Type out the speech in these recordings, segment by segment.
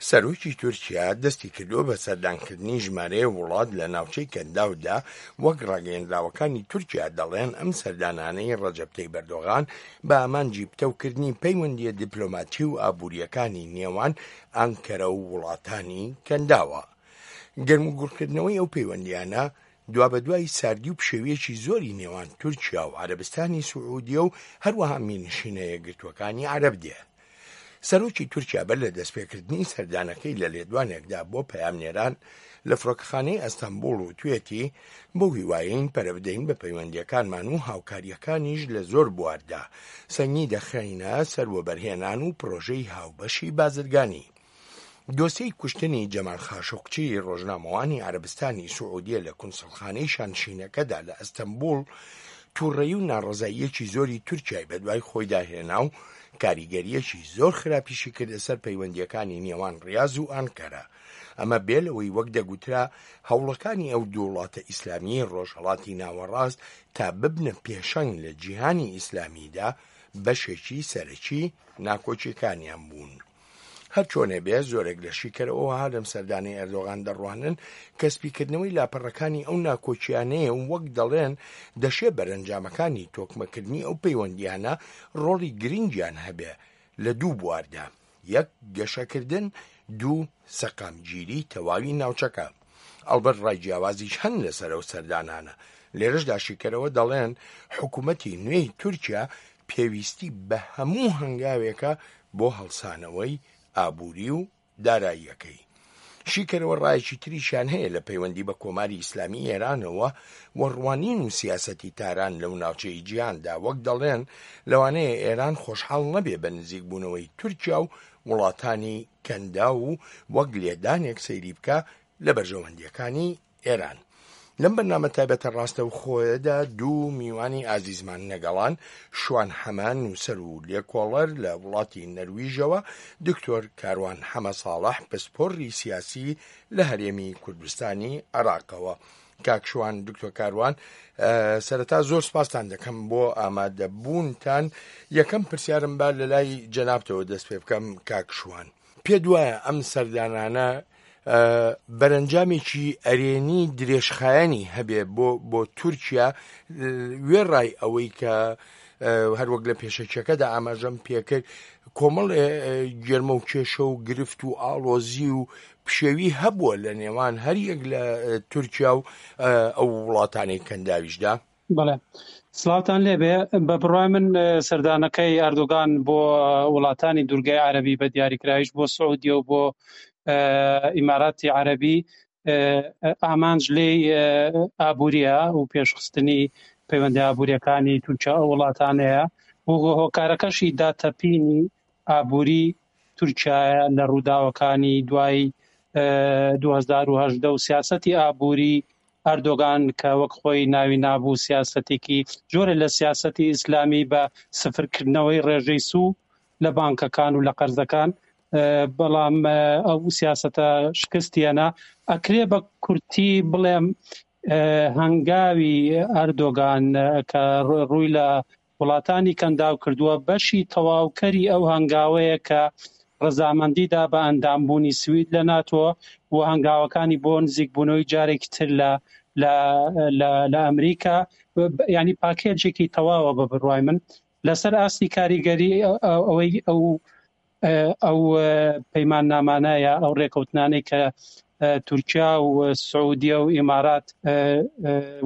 سەرۆکی تورکیا دەستی کردووە بە سەردانکردنی ژمارەیەک وڵات لە ناوچەی کەنداودا، وەک ڕاگەیەندراوەکانی تورکیا دەڵێن ئەم سەردانانەی ڕەجەب تەیب ئەردۆغان بە ئامانجی پتەوکردنی پەیوەندییە دیپلۆماتی و ئابوورییەکانی نێوان ئانکەرە و وڵاتانی کەنداوە. گەرموگوڕکردنەوەی ئەو پەیوەندییانە دوابەدوای ساردی و پشێوییەکی زۆری نێوان تورکیا و عەرەبستانی سعودیە و هەروەها میرنشینە یەکگرتووەکانی عەرەب دێ. سەرۆکی تورکیا بەر لە دەستپێکردنی سەردانەکەی لە لێدوانێکدا بۆ پەیامنێران لە فڕۆکەخانەی ئەستەنبوڵ وتوێتی، بەو هیوایەین پەرە بدەین بە پەیوەندییەکانمان و هاوکارییەکانیش لە زۆر بواردا، سەنگی دەخەینە سەر وەبەرهێنان و پڕۆژەی هاوبەشی بازرگانی. دۆسیەی کوشتنی جەمال خاشقچی ڕۆژنامەوانی عەرەبستانی سعودیە لە کونسڵخانەی شانشینەکەدا لە ئەستەنبوڵ توڕەیی و ناڕەزاییەکی زۆری تورکیای بەدوای خۆیدا هێنا و کاریگەرییەکی زۆر خراپیشی کردە سەر پەیوەندییەکانی نێوان ڕیاز و ئانکەرە ئەمە بێ لەوەی وەک دەگوترا هەوڵەکانی ئەو دوو وڵاتە ئیسلامیەی ڕۆژهەڵاتی ناوەڕاست تا ببنە پێشەنگ لە جیهانی ئیسلامیدا بەشێکی سەرەکی ناکۆکیەکانیان بوون. هەرچۆنێ بێ زۆرێک لە شیکەرەوە وەها لەم سەردانەی ئەردۆغان دەڕوانن کە سپیکردنەوەی لاپەڕەکانی ئەو ناکۆکیانەیە و وەک دەڵێن دەشێ بەرەنجامەکانی تۆکمەکردنی ئەو پەیوەندیانە ڕۆڵی گرنگیان هەبێ لە دوو بواردا، یەک گەشەکردن، دوو سەقامگیری تەواوی ناوچەکە. ئەڵبەت ڕای جیاوازیش هەن لەسەر ئەو سەردانانە. لێرەشدا شیکەرەوە دەڵێن حکومەتی نوێی تورکیا پێویستی بە هەموو هەنگاوێکە بۆ هەڵسانەوەی ئابووری و داراییەکەی. شیکەرەوە ڕایەکی تریشیان هەیە لە پەیوەندی بە کۆماری ئیسلامی ئێرانەوە و ڕوانین و سیاسەتی تاران لەو ناوچەی جیهاندا، وەک دەڵێن لەوانەیە ئێران خۆشحاڵ نەبێ بە نزیکبوونەوەی تورکیا و وڵاتانی کەنداو و وەک لێدانێک سەیری بکا لە بەرژەوەندییەکانی ئێران. لەم بەرنامە تایبەتە ڕاستەوخۆیەدا دوو میوانی ئازیزمان نەگەڵان شوان حەمە نووسەر و لێکۆڵەر لە وڵاتی نەرویژەوە، دکتۆر کاروان حەمە ساڵح پسپۆڕی سیاسی لە هەرێمی کوردستانی عێراقەوە. کاک شوان، دکتۆر کاروان، سەرەتا زۆر سپاستان دەکەم بۆ ئامادەبوونتان. یەکەم پرسیارم با لە لای جەنابتەوە دەست پێ بکەم کاک شوان. پێت وایە ئەم سەردانانە بەرەنجامێکی ئەرێنی درێژخایەنی هەبێ بۆ بۆ تورکیا وێڕای ئەوەی کە هەروەک لە پێشەکیەکەدا ئاماژەم پێکرد کۆمەڵ گێرمە و کێشە و گرفت و ئاڵۆزی و پشێوی هەبووە لە نێوان هەریەک لە تورکیا و ئەو وڵاتانەی کەنداویشدا. بەڵێ سڵاوتان لێبێ بە بڕای من سەردانەکەی ئەردۆگان بۆ وڵاتانی دوورگەی عەربی بە دیاریکراویش بۆ سعودیە و بۆ ئیماراتی عەربی ئامانج لێی ئابووریە و پێشخستنی پەیوەندی ئابووریەکانی تورکیا ئەو وڵاتانەیە و هۆکارەکەشی داتەپینی ئابووری تورکیایە لە ڕووداوەکانی دوای 2010 و سیاسەتی ئابووری ئەردۆگان کە وەک خۆی ناوی نابوو سیاسەتێکی جۆرە لە سیاسەتی ئیسلامی بە سفرکردنەوەی ڕێژەی سوو لە بانکەکان و لە قەرزەکان بەڵام ئەو سیاسەتە شکستیەنە ئەکرێ بە کورتی بڵێم هەنگاوی ئەردۆگان کە ڕووی لە وڵاتانی کەنداو کردووە، بەشی تەواوکەری ئەو هەنگاوەیە کە ڕەزامەندی دا بە ئەندامبوونی سوید لە ناتۆ و هەنگاوەکانی بۆ نزیکبوونەوەی جارێکی تر لە لە لە لە ئەمریکا یانی پاکێجێکی تەواوە بە بڕوای من لەسەر ئاستی کاریگەری ئەوەی ئەو ئەو پەیماننامانە یا ئەو ڕێکەوتنانەی کە تورکیا و سعودیە و ئیمارات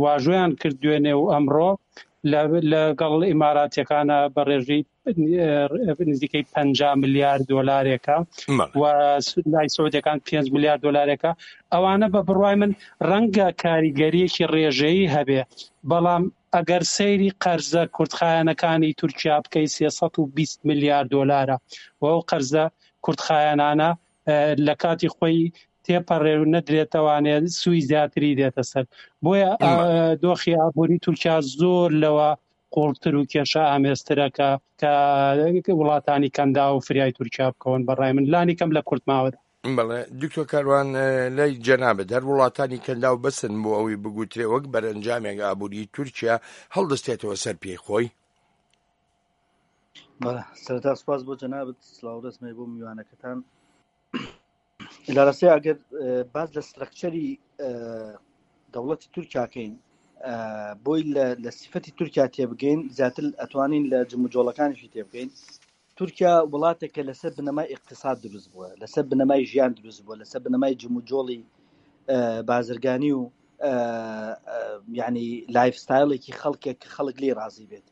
واژۆیان کرد دوێنێ و ئەمڕۆ لەگەڵ ئیماراتیەکانە بە ڕێژەی نزیکەی 50 ملیار دۆلارێکە و لای سعودیەکان 5 ملیار دۆلارێکە ئەوانە بە بڕوای من ڕەنگە کاریگەریەکی ڕێژەیی هەبێ بەڵام ئەگەر سەیری قەرزە کورتخایەنەکانی تورکیا بکەی 320 ملیار دۆلارە و ئەو قەرزە کورتخایەنانە لە کاتی خۆی تێپەڕێ و نەدرێتەوانێ سوی زیاتری دێتە سەر بۆیە دۆخی ئابووری تورکیا زۆر لەوە قوڵتر و کێشە ئامێزترە کە کە وڵاتانی کەندا و فریای تورکیا بکەون بەڕای من لانی کەم لە کورت ماوەدا. بەڵێ دکتۆر کاروان لای جەنابت هەر وڵاتانی کەنداو بەسن بۆ ئەوەی بگوترێ وەک بەرەنجامێک ئابووری تورکیا هەڵدەستێتەوە سەر پێی خۆی؟ بەڵێ سەرەتا سوپاس بۆ جەنابت سڵاو ڕێزم هەیە بۆ میوانەکەتان. لە ڕاستیا ئەگەر باس لە سترەکچەری دەوڵەتی تورکیاکەین بۆی لە سیفەتی تورکیا تێبگەین زیاتر ئەتوانین لە جموجۆڵەکانیشی تێبگەین تورکیا وڵاتێکە لەسەر بنەمای اقتصاد دروست بووە لەسەر بنەمای ژیان دروست بووە لەسەر بنەمای جموجۆڵی بازرگانی و یعنی lifestyle ێکی خەڵکێک کە خەڵک لی ڕازی بێت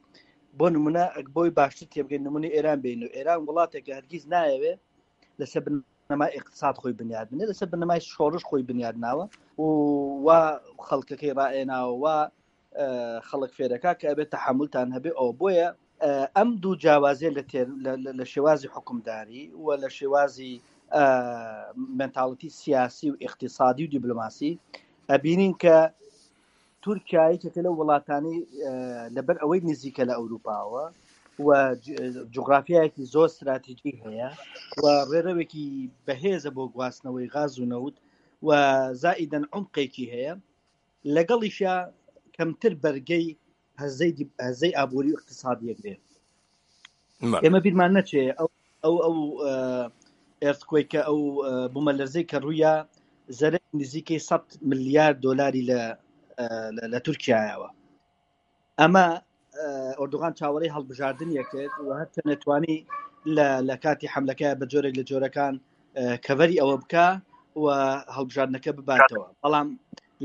بۆ نمونە ئەک بۆی باشتر تێبگەین نمونە ئێران بین و ئێران وڵاتێکە هەرگیز نایەوێ لەسەر بنەمای اقتصاد خۆی بنیاد بنێ لەسەر بنەمای شۆڕش خۆی بنیاد ناوە و وا خەڵکەکەی ڕائێناوە وا خەڵک فێرەکە کە ئەبێت تەحملتان هەبێ ئەو بۆیە ئەم دوو جیاوازیە لە لە شێوازی حکومداری و لە شێوازی mentality سیاسی و اقتصادی و دیبلۆماسی ئەبینین کە تورکیا یەکێکە لەو وڵاتانەی لەبەر ئەوەی نزیکە لە ئەوروپاوە و جوگرافیایەکی زۆر ستراتیژی هەیە و ڕێرەوێکی بەهێزە بۆ گواستنەوەی غاز و نەوت و زائیدەن عمقێکی هەیە لەگەڵیشە کەمتر بەرگەی هەزەی هەزەی ئابووری و اقتصادیەک بێ ئێمە بیرمان نەچێ ئەو ئەو ئەو ئێرتکۆی کە ئەو بوومەلەرزەی کە ڕوویا زەرەر نزیکەی 100 ملیار دۆلاری لە لە تورکایەوە ئەمە ئۆردوغان چاوەڕێی هەڵبژاردن یەکرد و هەر نەتوانی لە کاتی حملەکە بە جۆرێک لە جۆرەکان کەڤەری ئەوە بکە و هەڵبژاردنەکە بباتەوە بەڵام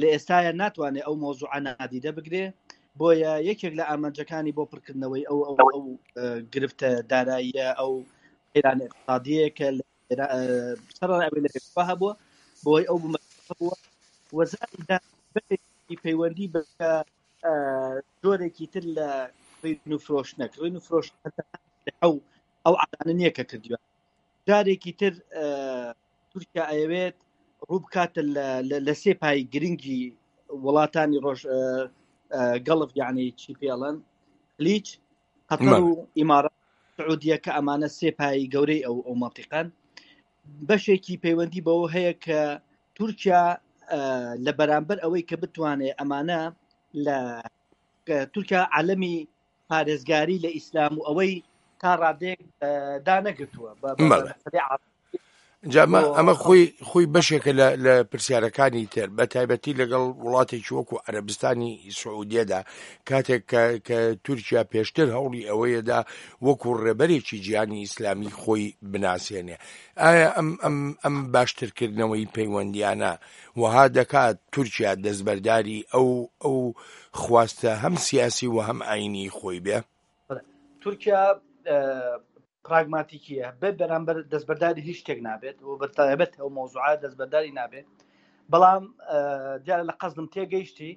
لە ئێستاە ناتوانێت ئەو مۆزوعە نادیدە بگرێ بۆیە یەکێک لە ئامانجەکانی بۆ پڕکردنەوەی ئەو ئەو ئەو گرفتە داراییە ئەو قەیرانە اقتصادیە کە سەرەڕای ئەوەی لە پێشوە هەبووە بۆی ئەو بووە وەزاری پەیوەندی بە جۆرێکی تر لە کڕین و فرۆشتنە کڕین و فرۆشتن ئەو ئەو عادانە نییە کە کردووە جارێکی تر تورکیا ئەیەوێت ڕوو بکاتە لە سێ پای گرنگی وڵاتانی ڕۆژ گەڵف یعنی چی پێڵەن خلیج قەتەر و ئیمارات سعودیە کە ئەمانە سێ پای گەورەی ئەو ئەو مەنتیقەن بەشێکی پەیوەندی بەوە هەیە کە تورکیا لە بەرامبەر ئەوەی کە بتوانێت ئەمانە لە تورکیا عالمی پارێزگاری لە ئیسلام و ئەوەی تا ڕادەیەک دانەگرتووە جا ئەمە خۆی خۆی بەشێکە لە پرسیارەکانی تر بە تایبەتی لەگەڵ وڵاتێکی وەکو عەرەبستانی سعودیەدا کاتێک کە تورکیا پێشتر هەوڵی ئەوەیەدا وەکو ڕێبەرێکی جیهانی ئیسلامی خۆی بناسێنێ ئایا ئەم ئەم ئەم باشترکردنەوەی پەیوەندیانە وەها دەکات تورکیا دەستبەرداری ئەو ئەو خواستە هەم سیاسی و هەم ئاینی خۆی بێ؟ تورکیا پراگماتیکیە بێ بەرامبەر دەستبەرداری هیچ شتێک نابێت و بەتایبەت ئەو مۆزوعە دەستبەرداری نابێت بەڵام دیارە لە قەزم تێگەیشتی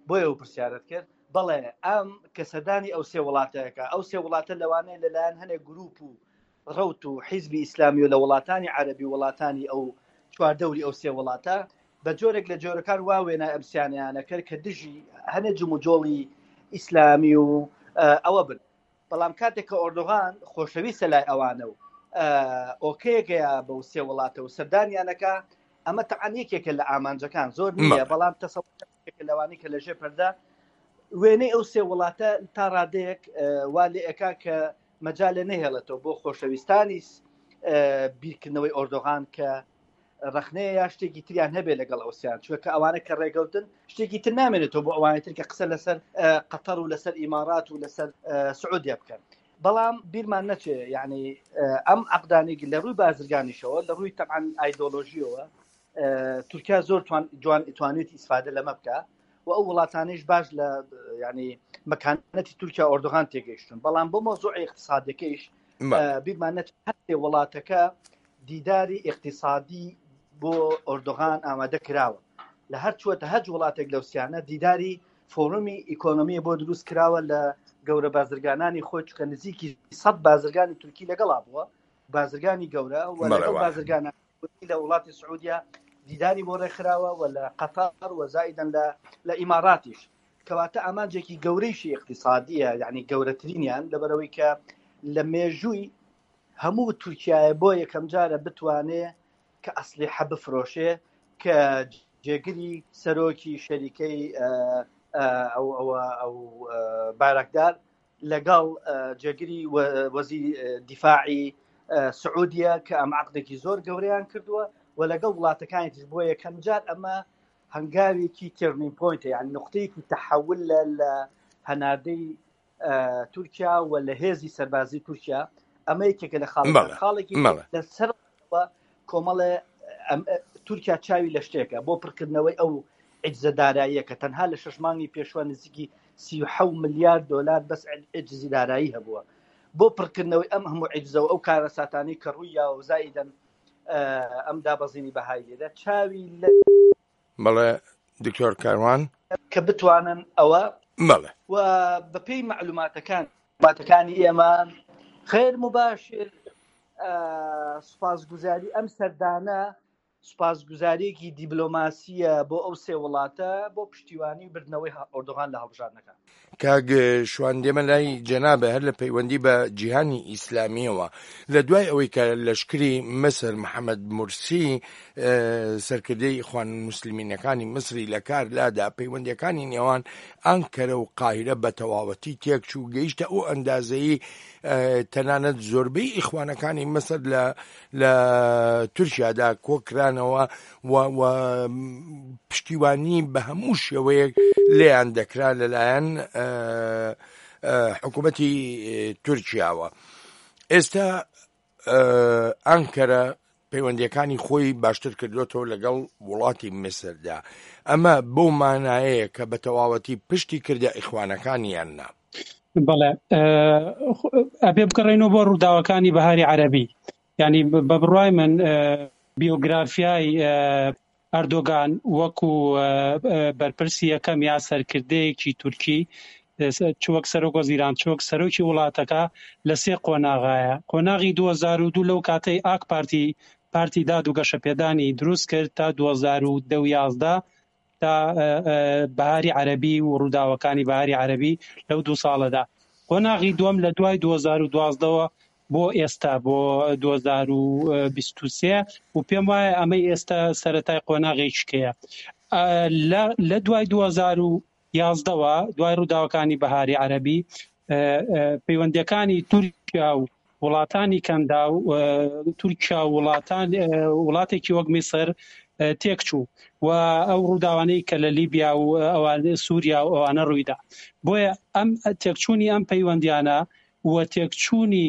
بۆیە و پرسیارت کرد بەڵێ ئەم کە سەردانی ئەو سێ وڵاتەکە ئەو سێ وڵاتە لەوانەیە لەلایەن هەنێک گروپ و ڕەوت و حیزبی ئیسلامی و لە وڵاتانی عەربی و وڵاتانی ئەو چواردەوری ئەو سێ وڵاتە بە جۆرێک لە جۆرەکان وا وێنای ئەم سیانیانە کرد کە دژی هەنێ جموجۆڵی ئیسلامی و ئەوە بن بەڵام کاتێک کە ئۆردوغان خۆشەویستە لای ئەوانە و ئۆکەیەکەیە بەو سێ وڵاتە و سەردانیانەکە ئەمە تەعاان یەکێکە لە ئامانجەکان زۆر نییە بەڵام تەسەوەکە لەوانی کە لەژێ پەردە وێنەی ئەو سێ وڵاتە تا ڕادەیەک وا لێ ئەکا کە مەجالێ نەهێڵێتەوە بۆ خۆشەویستانی بیرکردنەوەی ئۆردۆغان کە ڕەخنەیە یا شتێکی تریان هەبێ لەگەڵ ئەوسیان چوە کە ئەوانە کە ڕێگەوتن شتێکی تر نامێنێتەوە بۆ ئەوانەی تر کە قسە لەسەر قەتەر و لەسەر ئیمارات و لەسەر سعودیە بکەن بەڵام بیرمان نەچێ یعنی ئەم عقدانێک لە ڕووی بازرگانیشەوە لە ڕووی تەعاان ئایدۆلۆژیەوە تورکیا زۆر جوان توانێتی ئیسفادە لەمە بکە و ئەو وڵاتانیش باش لە ینی مەکانەتی تورکیا ئۆردوغان تێگەیشتون بەڵام بۆ مۆزوع اقتصادەکەیش بیرمان نەچێت هەرسێ وڵاتەکە دیداری اقتصادی بۆ ئۆردوغان ئامادە کراوە لە هەر چوەتە هەج وڵاتێک لەو سیانە دیداری فۆڕمی ئیکۆنۆمی بۆ دروست کراوە لە گەورە بازرگانانی خۆی چکە نزیکی 100 بازرگانی تورکی لەگەڵا بووە بازرگانی گەورە و لەگەڵ بازرگانە لە وڵاتی سعودیا دیداری بۆ ڕێکخراوە و لە قەتەر و زائیدەن لە لە ئیماراتیش کەواتە ئامانجێکی گەورەیشی اقتصادیە یعنی گەورەترینیان لەبەرەوەی کە لە مێژووی هەموو تورکایە بۆ یەکەم جارە بتوانێ کە ئەسلیحە بفرۆشێ کە جێگری سەرۆکی شەریکەی ئەو ئەوە ئەو باراکدار لەگەڵ جێگری وەزیری دیفاعی سعودیە کە ئەم عقدێکی زۆر گەورەیان کردووە. و لەگەڵ وڵاتەکانی تر بۆ یەکەم جار ئەمە هەنگاوێکی turning point ە یان نقطەیەکی تەحول لە لە هەناردەی تورکیا و لە هێزی سەربازی تورکیا ئەمە یەکێکە لە خاڵەکان خاڵێکی لەسەر کۆمەڵێ تورکیا چاوی لە شتێکە بۆ پڕکردنەوەی ئەو عجزە داراییە کە تەنها لە شش مانگی پێشوە نزیکی 37 ملیار دلار بەس عجزی دارایی هەبووە بۆ پڕکردنەوەی ئەم هەموو عجزە و ئەو کارەساتانەی کە ڕووی یاوە زائیدەن ئەم دابەزینی بەهای لێدا چاوی لە بەڵێ دکتۆر کاروان. کە بتوانن ئەوە. بەڵێ. و بەپێی مەعلوماتەکان. ماتەکانی ئێمە غیر مباشر سوپاسگوزاری ئەم سەردانە سوپاسگوزاریەکی دیبلۆماسیە بۆ ئەو سێ وڵاتە بۆ پشتیوانی و بردنەوەی ئۆردوغان لە هەڵبژاردنەکان. کاک شوان دێمە لای جەنابت هەر لە پەیوەندی بە جیهانی ئیسلامیەوە لە دوای ئەوەی کە لەشکری مسر محەممەد مورسی سەرکردەی ئیخوان موسلمینەکانی میسری لە کار لادا، پەیوەندیەکانی نێوان ئانکەرە و قاهیرە بە تەواوەتی تێکچوو، گەیشتە ئەو ئەندازەی تەنانەت زۆربەی ئیخوانەکانی میسر لە لە تورکیادا کۆکرانەوە و و پشتیوانی بە هەموو شێوەیەک لێیان دەکرا لەلایەن حکوومەتی تورکیاوە. ئێستا ئانکەرە پەیوەندیەکانی خۆی باشتر کردوێتەوە لەگەڵ وڵاتی میسردا ئەمە بەو مانایەیە کە بە تەواوەتی پشتی کردە ئیخوانەکان یان نا؟ بەڵێ ئەبێ بگەڕێینەوە بۆ ڕووداوەکانی بەهاری عەرەبی یعنی بە بڕوای من بیۆگرافیای ئەردۆگان وەکو بەرپرسی یەکەم یا سەرکردەیەکی تورکی چ وەک سەرۆک وەزیران چ وەک سەرۆکی وڵاتەکە لە سێ قۆناغایە قۆناغی 2002 لەو کاتەی ئاک پارتی پارتی داد و گەشەپێدانی دروست کرد تا 2010 و 11 تا بەهاری عەرەبی و ڕووداوەکانی بەهاری عەرەبی لەو دوو ساڵەدا. قۆناغی دووەم لە دوای 2012ەوە بۆ ئێستا بۆ 2023 و پێم وایە ئەمەی ئێستا سەرەتای قۆناغێکیکەیە. لە دوای 2011ەوە دوای ڕووداوەکانی بەهاری عەرەبی پەیوەندیەکانی تورکیا و وڵاتانی کەنداو تورکیا و وڵاتان وڵاتێکی وەک میسر تێکچوو و ئەو ڕووداوانەی کە لە لیبیا و ئەوان سووریا و ئەوانە ڕوویدا بۆیە ئەم تێکچوونی ئەم پەیوەندیانە و تێکچوونی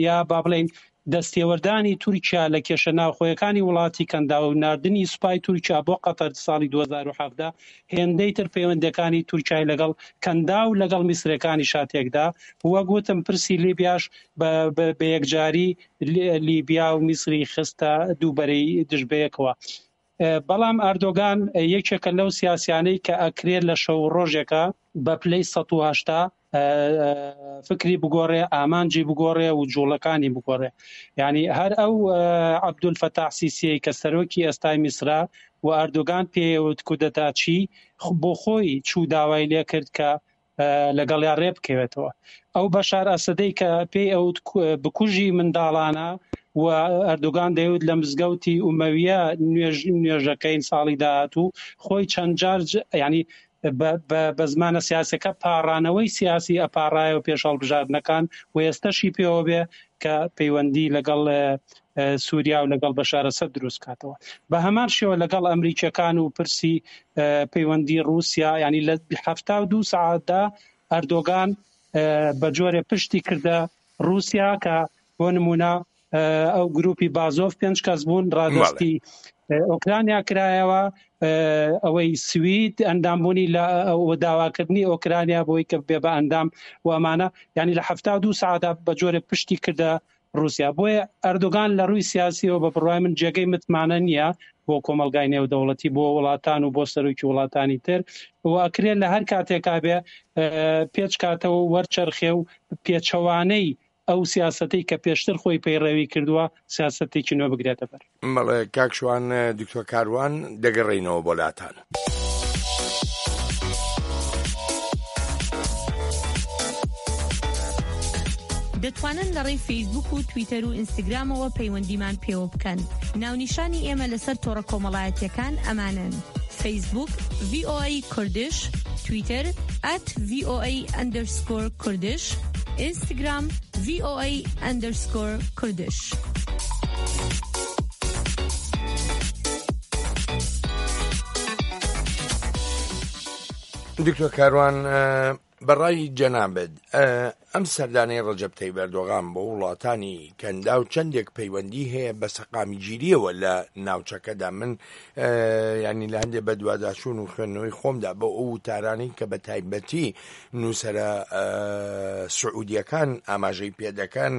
یا با بڵێین دەستێوەردانی تورکیا لە کێشە ناوخۆیەکانی وڵاتی کەنداو و ناردنی سوپای تورکیا بۆ قەتەر ساڵی 2017 هێندەی تر پەیوەندیەکانی تورکیای لەگەڵ کەنداو لەگەڵ میسرەکانیشا تێکدا و وەک وتم پرسی لیبیاش بە یەکجاری لیبیا و میسری خستە دوو بەرەی دژ بەیەکەوە. بەڵام ئەردۆگان یەکێکە لەو سیاسیانەی کە ئەکرێت لە شەو و ڕۆژێکا بە پلەی 180 فکری بگۆڕێ، ئامانجی بگۆڕێ و جوڵەکانی بگۆڕێ. یعنی هەر ئەو عەبدولفەتاح سیسیەی کە سەرۆکی ئێستای میسرە و ئەردۆگان پێیەوت کودەتاچی بۆ خۆی چوو داوای لێکرد کە لەگەڵیا ڕێ بکەوێتەوە. ئەو بەشار ئەسەدەی کە پێی ئەوت بکوژی منداڵانە و ئەردۆگان دەیوت لە مزگەوتی ئومەویە نوێژ نوێژەکەین ساڵی داهاتوو خۆی چەند جار ینی بە زمانە سیاسەکە پاڕانەوەی سیاسی ئەپاڕایەوە پێش هەڵبژاردنەکان و ئێستەشی پێوە بێ کە پەیوەندی لەگەڵ سووریا و لەگەڵ بەشار ئەسەد دروست کاتەوە. بە هەمان شێوە لەگەڵ ئەمریکیەکان و پرسی پەیوەندی ڕووسیا ینی لە 72 سەعاتدا ئەردۆگان بە جۆرێ پشتی کردە ڕووسیا کە بۆ نمونە ئەو گروپی بازۆف پێنج کەس بوون ڕادستی ئۆکرانیا کرایەوە ئەوەی سوید ئەندامبوونی لە داواکردنی ئۆکرانیا بۆی کە بێ بە ئەندام و ئەمانە ینی لە 72 ساعتدا بە جۆرێ پشتی کردە ڕووسیا بۆیە ئەردۆگان لە ڕووی سیاسیەوە بە بڕوای من جێگەی متمانە نییە بۆ کۆمەڵگای نێودەوڵەتی بۆ وڵاتان و بۆ سەرۆکی وڵاتانی تر و ئەکرێت لە هەر کاتێکا بێ پێچ کاتەوە و وەرچەرخێ و پێچەوانەی ئەو سیاسەتەی کە پێشتر خۆی پەیڕەوی کردووە سیاسەتێکی نوێ بگرێتە بەر. بەڵێ کاک شوان، دکتۆر کاروان دەگەڕێینەوە بۆ لاتان. دەتوانن لە ڕێی فەیسبووک و تویتەر و ئینستاگرامەوە پەیوەندیمان پێوە بکەن. ناونیشانی ئێمە لەسەر تۆڕە کۆمەڵایەتییەکان ئەمانەن، فەیسبووک، VOA Kurdish، تویتەر، at VOA underscore Kurdish، ئینستاگرام، VOA underscore Kurdish. دکتۆر کاروان بەڕای جەنابت ئەم سەردانەی ڕەجەب تەیب ئەردۆغان بۆ وڵاتانی کەنداو چەندێک پەیوەندی هەیە بە سەقامگیریەوە لە ناوچەکەدا من ینی لە هەندێک بەدواداچوون و خوێندنەوەی خۆمدا بۆ ئەو وتارانەی کە بە تایبەتی نووسرە سعودیەکان ئاماژەی پێدەکەن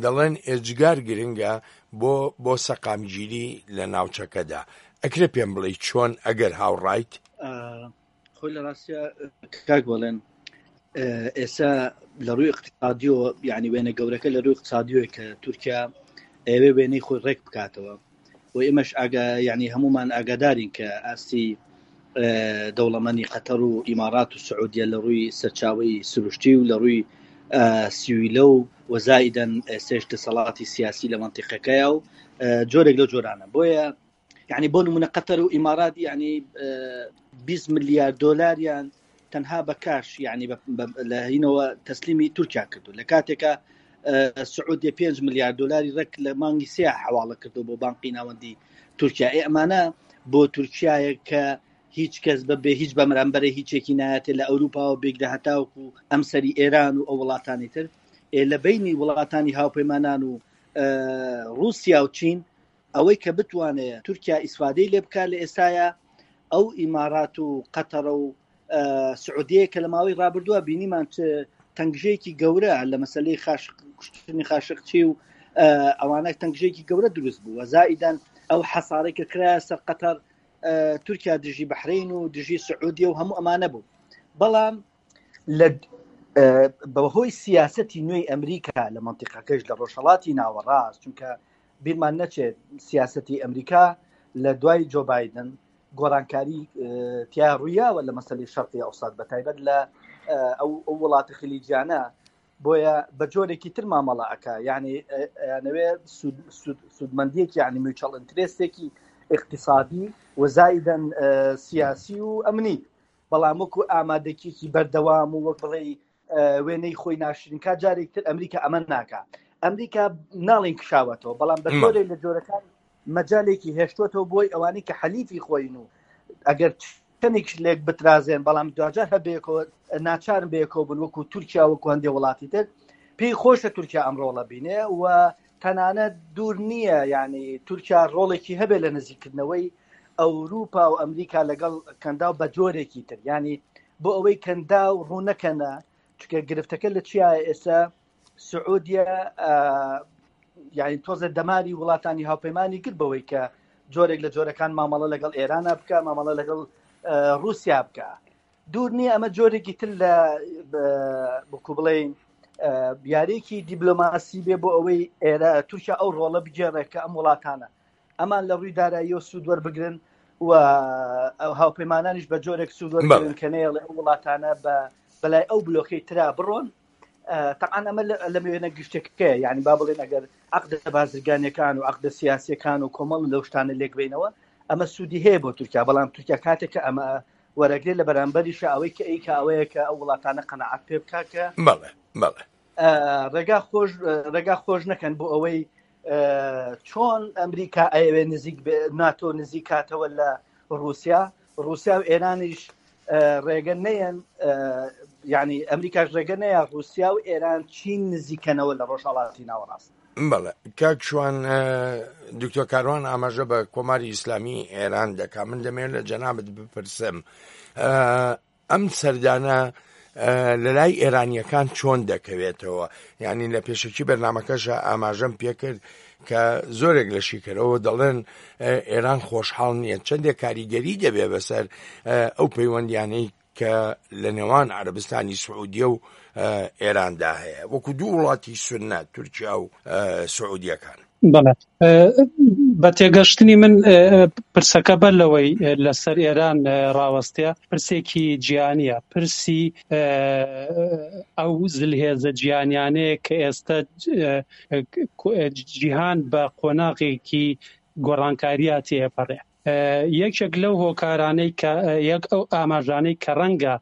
دەڵێن ئێجگار گرنگە بۆ بۆ سەقامگیری لە ناوچەکەدا ئەکرێ پێم بڵێی چۆن ئەگەر هاوڕایت؟ خۆی لە ڕاستە کاک بەڵێن ئێستا لە ڕووی اقتصادیەوە یعنی وێنە گەورەکە لە ڕووی اقتصادیەوە کە تورکیا ئەوێ وێنەی خۆی ڕێک بکاتەوە و ئێمەش ئاگا یعنی هەمومان ئاگادارین کە ئاستی دەوڵەمەنی قەتەر و ئیمارات و سعودیە لە ڕووی سەرچاوی سروشتی و لە ڕووی سیویلە و وەزایدەن ئێستش دەسەڵاتی سیاسی لە منتیقەکەیە و جۆرێک لە جۆرانە بۆیە یعنی بۆ نمونە قەتەر و ئیمارات یعنی 20 ملیار دۆلاریان تەنها بە کاش یعنی لە هینەوە تەسلیمی تورکیا کردو لە کاتێکە سعودیە 5 ملیار دلاری ڕێک لە مانگی سێ حواڵە کردو بۆ بانقی ناوەندی تورکیا ئێ ئەمانە بۆ تورکایە کە هیچ کەس بە بێ هیچ بەمرامبەرە هیچێکی نایەتێ لە ئەوروپاوە بێگرە هەتاوکو ئەم سەری ئێران و ئەو وڵاتانی تر ئێ لە بینی وڵاتانی هاوپەیمانان و رووسیا و چین ئەوەی کە بتوانێ تورکیا ئیسفادەی لێ بکات لە ئێستایا ئەو ئیمارات و قەتەرە و سعودیەیە کە لە ماوەی ڕابردووە بینیمان چ تەنگژەیەکی گەورە لە مەسلەی خاش کوشتنی خاشقچی و ئەوانە تەنگژێکی گەورە دروست بووە زائیدەن ئەو حەسارەی کە کرایە سەر قەتەر تورکیا دژی بەحرین و دژی سعودیە و هەموو ئەمانە بوو بەڵام لە بەهۆی سیاستی نوێی ئەمریکا لە منتیقەکەش لە ڕۆژهڵاتی ناوەڕاست چونکە بیرمان نەچێت سیاستی ئەمریکا لە دوای جۆ بایدن گۆڕانکاری تیا ڕوویاوە لە مەسلی شەرقی ئەوسات بە تایبەت لە ئەو وڵاتە خلیجیانە بۆیە بە جۆرێکی تر مامەڵە ئەکا یعنی ئەیانەوێ سوودمەندیەکی یعنی میوچەڵ ئینترێستێکی اقتصادی و زائیدەن سیاسی و ئەمنی بەڵام وەکو ئامادەکیەکی بەردەوام و وەک بڵێ وێنەی خۆی ناشرین کا جارێک تر ئەمریکا ئەمە ناکا ئەمریکا ناڵین کشاوەتەوە بەڵام بە جۆرێک لە جۆرەکان مەجالێکی هێشتوەتەوە بۆی ئەوانەی کە حەلیفی خۆین و ئەگەر چەندێکش لێک بترازێن بەڵام دواجار هەبێکەوە ناچارن بەیەکەوە بن وەکو تورکیا وەکو هەندێک وڵاتی تر پێی خۆشە تورکیا ئەم ڕۆڵە بینێ و تەنانەت دوور نییە یعنی تورکیا ڕۆڵێکی هەبێت لە نزیکردنەوەی ئەوروپا و ئەمریکا لەگەڵ کەنداو بە جۆرێکی تر ینی بۆ ئەوەی کەنداو ڕوونەکەنە چکە گرفتەکە لە چیایە ئێستا سعودیە یعنی تۆزە دەماری وڵاتانی هاوپەیمانانی کرد بەوەی کە جۆرێک لە جۆرەکان مامەڵە لەگەڵ ئێرانە بکە مامەڵە لەگەڵ رووسیا بکە دوور نییە ئەمە جۆرێکی تر لە بکو بڵێین یاریێکی دیبلۆماسی بێ بۆ ئەوەی ئێرە تورکیا ئەو ڕۆڵە بگێڕێت کە ئەم وڵاتانە ئەمان لە ڕووی داراییەوە سوود وەربگرن و هاوپەیمانانیش بە جۆرێک سوود وەربگرن کە نەیەڵێ ئەو وڵاتانە بە بەلای ئەو بلۆکەی ترا بڕۆن تەعاان ئەمە لە وێنە گشتەکەیە یعنی با بڵێن ئەگەر عقدە بازرگانیەکان و عقدە سیاسیەکان و کۆمەڵ لەو شتانە لێک بینەوە ئەمە سوودی هەیە بۆ تورکیا بەڵام تورکیا کاتێک کە ئەمە وەرەگرێت لە بەرامبەریشە ئەوەی کە ئەیکا ئەوەیە کە ئەو وڵاتانە قەناعەت پێ بکا کە بەڵێ بەڵێ ڕێگا خۆش ڕێگا خۆش نەکەن بۆ ئەوەی چۆن ئەمریکا ئەیەوێ نزیک ناتۆ نزیک کاتەوە لە رووسیا رووسیا و ئێرانیش ڕێگە نەیەن ینی ئەمریکاش ڕێگە نەیە رووسیا و ئێران چین نزیکەنەوە لە ڕۆژهڵاتی ناوەڕاست بەڵێ کاک شوان دکتۆر کاروان ئاماژە بە کۆماری ئیسلامی ئێران دەکا من دەمێت لە جەنابت بپرسم ئەم سەردانە لە لای ئێرانیەکان چۆن دەکەوێتەوە یعنی لە پێشەکی بەرنمەکەشە ئاماژەم پێکرد کە زۆرێک لە شیکەرەوە دەڵێن ئێران خۆشحاڵ نییە چەندێک کاریگەری دەبێ بەسەر ئەو پەیوەندیانەی کە لە نێوان عەرەبستانی سعودیە و ئێراندا هەیە وەکو دوو وڵاتی سوننە تورکیا و سعودیەکان. بەڵێ بە تێگەشتنی من پرسەکە بەر لەوەی لەسەر ئێران ڕاوەستێ پرسێکی جیهانیە پرسی ئەو زلهێزە جیهانیانەیە کە ئێستا جیهان بە قۆناغێکی گۆڕانکاریە تێپەڕێ یەکێک لەو هۆکارانەی کە یەک ئەو ئاماژانەی کە ڕەنگە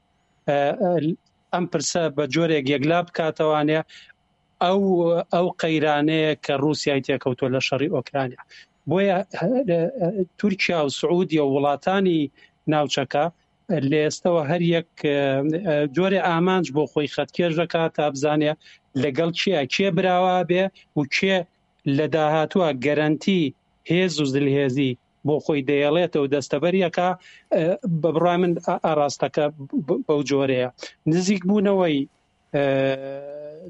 ئەم پرسە بە جۆرێک یەکلا بکاتەوانێ ئەو ئەو قەیرانەیە کە رووسای تێکەوتوە لە شەڕی ئۆکرانیا بۆیە تورکیا و سعودیە و وڵاتانی ناوچەکە. لە ئێستەوە هەر یەک جۆرێ ئامانج بۆ خۆی خەتکێش دەکات تا بزانێ لەگەڵ کێ کێ براوە بێ و کێ لە داهاتووە گەرەنتی هێز و زلهێزی بۆ خۆی دەیەڵێتەوە دەستەبەریەکە بە بڕای من ئاراستەکە بەو جۆرەیە نزیک بوونەوەی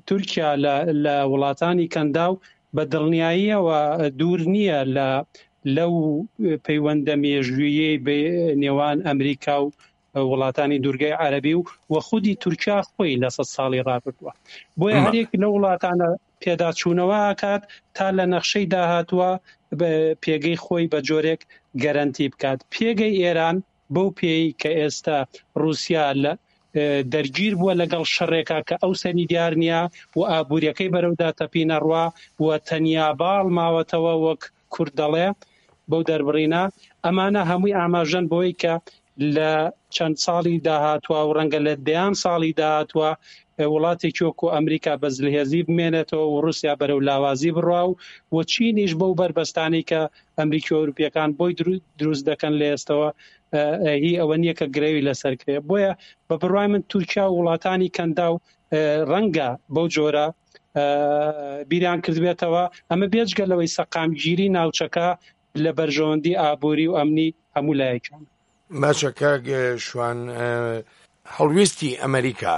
تورکیا لە وڵاتانی کەنداو بە دڵنیاییەوە دوور نییە لە لەو پەیوەندە مێژوویەی نێوان ئەمریکا و وڵاتانی دوورگەی عەربی و و خودی تورکیا خۆی لە سە ساڵی ڕابردووە بۆیە هەرێک لە وڵاتانە پێداچوونەوە ئەکات تا لە نەخشەی داهاتووە پێگەی خۆی بە جۆرێک گەرەنتی بکات پێگەی ئێران بەو پێی کە ئێستا رووسیا لە دەرگیر بووە لەگەڵ شەڕێکا کە ئەو سەری دیار نییە و ئابووریەکەی بەرەو داتەپینە ڕوا و تەنیا باڵ ماوەتەوە وەک کورد دەڵێ بەو دەربڕینە ئەمانە هەمووی ئاماژەن بۆی کە لە چەند ساڵی داهاتوە و ڕەنگە لە دەیان ساڵی داهاتوە وڵاتێکی وەکو ئەمریکا بە زلهێزی بمێنێتەوە و ڕوسیا بەرەو لاوازی بڕوا و و چینیش بەو بەربەستانەی کە ئەمریکی و ئەوروپیەکان بۆی دروست دەکەن لە ئێستەوە هی ئەوە نییە کە گرەوی لەسەر کرێ بۆیە بە بڕوای من تورکیا و وڵاتانی کەنداو ڕەنگە بەو جۆرە بیریان کردبێتەوە ئەمە بێجگە لەوەی سەقامگیری ناوچەکە لە بەرژەوەندی ئابووری و ئەمنی هەموو لایەکیان. باشە کاک شوان هەڵوێستی ئەمریکا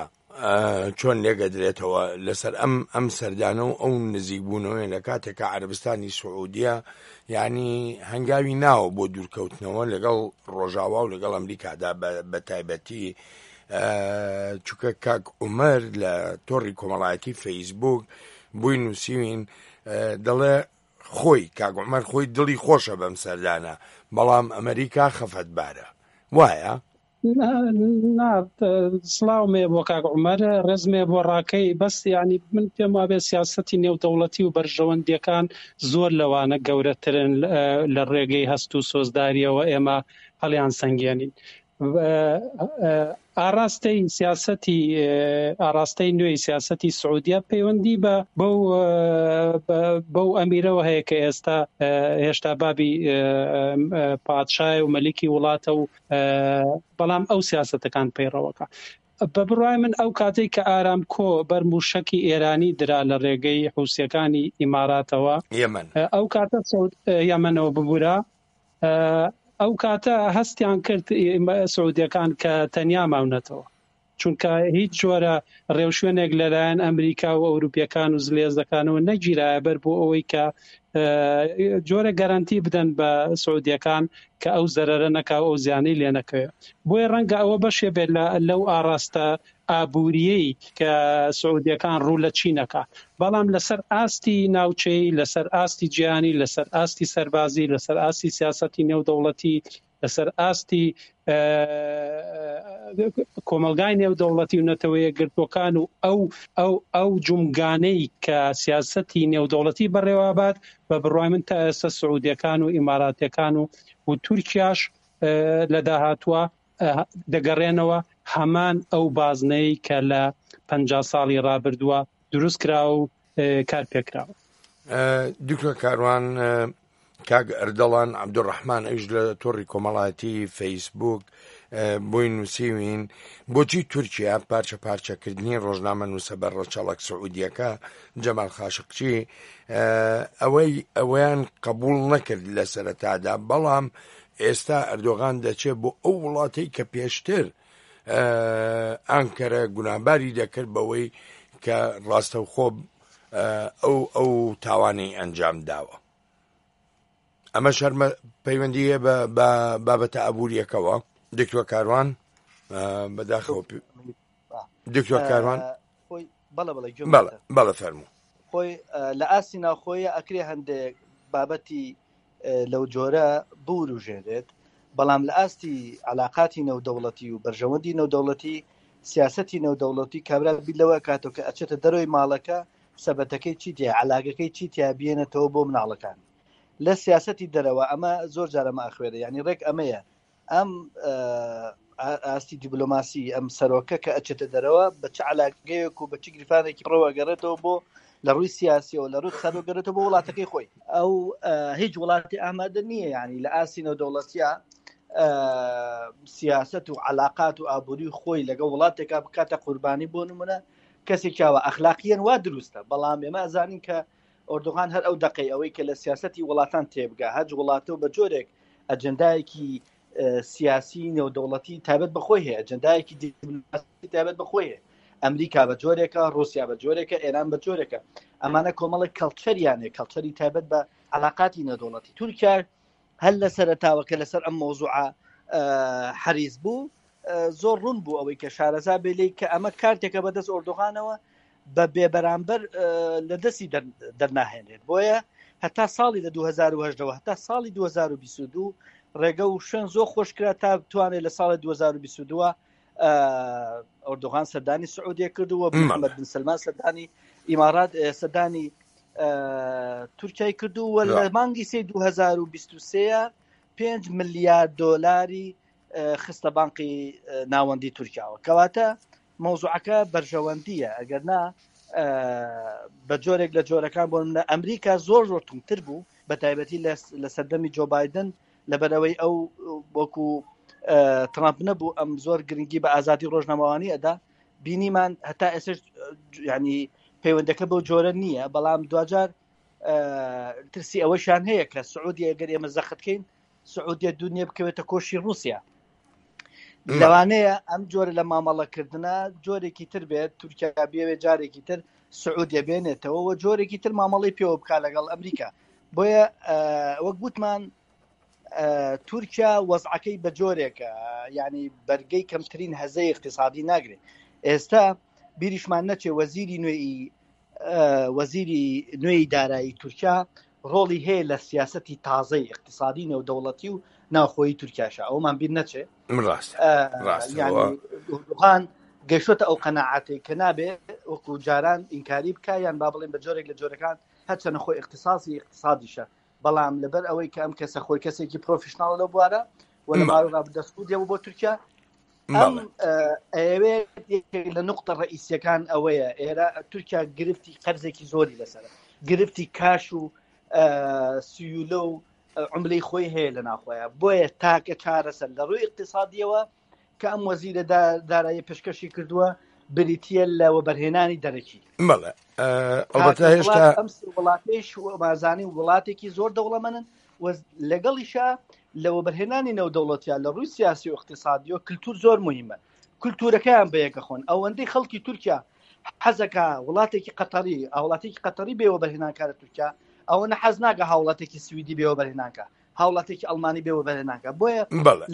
چۆن لێگەدرێتەوە لەسەر ئەم ئەم سەردانە و ئەو نزیک بوونەوەی لە کاتێکە عەربستانی سعودیە یعنی هەنگاوی ناوە بۆ دوورکەوتنەوە لەگەڵ ڕۆژاوا و لەگەڵ ئەمریکادا بە تایبەتی چونکە کاک عومەر لە تۆڕی کۆمەڵایەتی فەیسبوک بۆی نووسیوین دەڵێ خۆی کاک عومەر خۆی دڵی خۆشە بەم سەردانە بەڵام ئەمریکا خەفەتبارە وایە؟ نا سڵاوم هەیە بۆ کاک عومەر ڕێزم هەیە بۆ ڕاکەی بەس یعنی من پێم وابێ سیاسەتی نێودەوڵەتی و بەرژەوەندیەکان زۆر لەوانە گەورەترن لە ڕێگەی هەست و سۆزداریەوە ئێمە هەڵیان سەنگێنین ئاراستەی سیاسەتی ئاراستەی نوێی سیاسەتی سعودیە پەیوەندی بە بەو بەو ئەمیرەوە هەیە کە ئێستا هێشتا بابی پادشای و مەلیکی وڵاتە و بەڵام ئەو سیاسەتەکان پەیڕەوەکە بە بڕای من ئەو کاتێک کە ئارامکۆ بەر موشەکی ئێرانی درا لە ڕێگەی حوسیەکانی ئیماراتەوە یەمەن ئەو کاتە یەمەنەوە ببورە ئەو کاتە هەستیان کرد سعودیەکان کە تەنیا ماونەتەوە چونکە هیچ جۆرە ڕێوشوێنێک لەلایەن ئەمریکا و ئەوروپیەکان و زلێزەکانەوە نەگیرایە بەر بۆ ئەوەی کە جۆرە گەرانتی بدەن بە سعودیەکان کە ئەو زەرەرە نەکا و ئەو زیانەی لێ نەکەوێت بۆیە ڕەنگە ئەوە بەشێ بێت لەو ئاراستە ئابوورییەی کە سعودیەکان ڕوو لە چین ئەکا، بەڵام لەسەر ئاستی ناوچەیی، لەسەر ئاستی جیهانی، لەسەر ئاستی سەربازی، لەسەر ئاستی سیاسەتی نێودەوڵەتی، لەسەر ئاستی کۆمەڵگای نێودەوڵەتی و نەتەوە یەکگرتووەکان و ئەو ئەو ئەو جومگانەی کە سیاسەتی نێودەوڵەتی بەڕێوەبات، بە بڕوای من تا ئێستا سعودیەکان و ئیماراتیەکان و و تورکیاش لە داهاتووە دەگەڕێنەوە هەمان ئەو بازنەی کە لە 50 ساڵی ڕابردووە دروست کراوە و کار پێکراوە. دکتۆر کاروان کاک ئەردەڵان عەبدولڕەحمان ئەویش لە تۆڕی کۆمەڵایەتی فەیسبوک بۆی نووسیوین بۆچی تورکیا پارچە پارچەکردنی ڕۆژنامە نووسە بە ڕەچەڵەک سعودیەکە جەمال خاشقچی ئەوەی ئەوەیان قبول نەکرد لە سەرەتادا بەڵام ئێستا ئەردۆغان دەچێت بۆ ئەو وڵاتەی کە پێشتر ئانکەرە گوناهباری دەکرد بەوەی کە ڕاستەوخۆ ئەو ئەو تاوانەی ئەنجام داوە ئەمە شەرمە پەیوەندیە بە بابەتە ئابوووریەکەوە دکتۆر کاروان بەداخەوە دکتۆر کاروان بەڵە فەرموو خۆی لە ئاستی ناوخۆیە ئەکرێ هەندێک بابەتی لەو جۆرە بوروژێنرێت، بەڵام لە ئاستی عەلاقاتی نێودەوڵەتی و بەرژەوەندی نێودەوڵەتی، سیاسەتی نێودەوڵەتی کابرا بیر لەوە ئەکاتەوە کە ئەچێتە دەرەوەی ماڵەکە سەبەتەکەی چی تیایە، عەلاگەکەی چی تیایە بیێنێتەوە بۆ مناڵەکانی. لە سیاسەتی دەرەوە ئەمە زۆر جار ئەمە ئەخوێنێ، یانی ڕێک ئەمەیە ئەم ئاستی دیبلۆماسی ئەم سەرۆکە کە ئەچێتە دەرەوە بە چ علاگەیەک و بە چ گریفانێکی پڕەوە گەڕێتەوە بۆ لە ڕووی سیاسیەوە لە ڕووی سەرۆک گەڕێتەوە بۆ وڵاتەکەی خۆی ئەو هیچ وڵاتی ئامادە نییە ینی لە ئاستی نێودەوڵەتیە. سیاست و علااقات و ئابووری خۆی لەگەڵ وڵاتێکا بکاتە قوربانی بۆ نمونە کەسێکیاوە ئەخلاقیەن وا دروستە بەڵام ئێمە ئەزانین کە ئۆردوغان هەر ئەو دەقەی ئەوەی کە لە سیاستی وڵاتان تێبگا هەج وڵاتە و بە جۆرێک ئەجندایەکی سیاسی نێودەوڵەتی تایبەت بەخۆی هەیە ئەجندایەکی دیپلۆماسی تایبەت بەخۆی هەیە ئەمریکا بە جۆرێکە رووسیا بە جۆرێکە ئێران بە جۆرێکە ئەمانە کۆمەڵێک کەڵچەریانێ کەڵچەری تایبەت بە علااقاتی نێودەوڵەتی تورکیا هەر لە سەرەتاوە کە لەسەر ئەم مۆزوعە حەریز بوو زۆر ڕوون بوو ئەوەی کە شارەزا بێ لێی کە ئەمە کارتێکە بەدەست ئۆردوغانەوە بە بێبەرامبەر لە دەستی دەرناهێنێت بۆیە هەتا ساڵی لە 2010ەوە هەتا ساڵی 2022 ڕێگە و شوێن زۆر خۆشکرا تا بتوانێت لە ساڵی 2022 ئۆردوغان سەردانی سعودیە کرد و محەممەد بن سلمان سەردانی ئیمارات سەردانی تورکیای کردو و لە مانگی سێ 2023 5 ملیار دۆلاری خستە بانقی ناوەندی تورکیاوە کەواتە مەوزوعەکە بەرژەوەندیە ئەگەر نا بە جۆرێک لە جۆرەکان بۆ منە ئەمریکا زۆر زۆر تونتر بوو بە تایبەتی لە سەردەمی جۆ بایدن لەبەرەوەی ئەو وەکو ترامپ نەبوو ئەم زۆر گرنگی بە ئازادی ڕۆژنامەوانی ئەدا بینیمان هەتا ئێسش ینی پەیوەندەکە بەو جۆرە نییە بەڵام دوجار ترسی ئەوەشیان هەیە کە سعودی ئەگەر ئێمە زەختکەین سعودیە دونیە بکەوێتە کۆشی رووسیا لەوانەیە ئەم جۆرە لە مامەڵەکردە جۆرێکی تر بێت تورکیا بێوێ جارێکی تر سعودیە بێنێتەوە و جۆرێکی تر مامەڵی پێوە بک لەگەڵ ئەمریکا بۆیە وەک گوتمان تورکیا وەزعەکەی بە جۆرێکە ینی بەرگەی کەمترین هەزەی اقتصادی ناگرێت ئێستا بیریشمان نەچێ وەزیری نوێی وەزیری نوێی دارایی تورکیا ڕۆڵی هەیە لە سیاستی تازەی اقتصادی نێودەوڵەتی و ناوخۆیی تورکیاشە ئەومان بیر نەچێ ڕاستڕاستڕاستڕان گەشتە ئەو قەنەعاتێک کە نابێ وەکو جاران ئینکاری بکە یان با بڵێن بە جۆرێک لە جۆرەکان هەرچەنە خۆی اختصاصی اقتصادیشە بەڵام لەبەر ئەوەی کە ئەم کەسە خۆی کەسێکی پرۆفشنناڵ لەو بوارە و لە ماوەی ڕابردوو سعودیە بۆ تورکیا ئەم ئەیەوێت یەکێک لە نقطە ڕئیسیەکان ئەوەیە ئێرە تورکیا گرفتی قەرزێکی زۆری لەسەر گرفتی کاش و سیولە و عملەی خۆی هەیە لە ناخۆیان بۆیە تاکە چارەسەر لە ڕووی اقتصادیەوە کە ئەم وەزیرە دارایی پێشکەشی کردووە بریتە لە وەبەرهێنانی دەرەکی بەڵێ ئەڵبەتە هێشتا ئەم وڵاتیش مازانی وڵاتێکی زۆر دەوڵەمەنن و لەگەڵیشا لە وەبەرهێنانی نێودەوڵەتیا لە ڕووی سیاسی و اقتصادیەوە کللتور زۆر مهمە کللتورەکەیان بەیەکە خۆن ئەوەندەی خەڵکی تورکیا حەزەکە وڵاتێکی قەتەری هاوڵاتێکی قەتەری بێ وەبەرهێنانکارە تورکیا ئەوە نە حەز ناکە هاوڵاتێکی سویدی بێ وەبەرهێنانکە هاوڵاتێکی ئەڵمانی بێ وەبەرهێنانکە بۆیە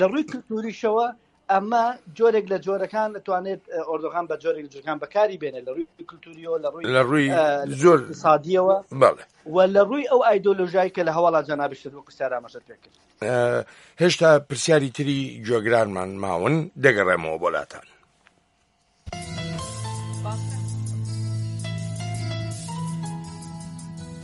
لە ڕووی کللتوریشەوە ئەمە جۆرێک لە جۆرەکان دەتوانێت ئۆردوغان بە جۆرێک لە جۆرەکان بەکاری بێنێت لە ڕووی کللتوریەوە لە ڕووی لە ڕووی زۆر سادیەوە و لە ڕووی ئەو ئایدۆلۆژای کە لە هەواڵا جەنابیشت وەکو پرسیار ئاماژەت پێ کرد. هێشتا پرسیاری تری گوێگرانمان ماون دەگەڕێمەوە بۆ لاتان.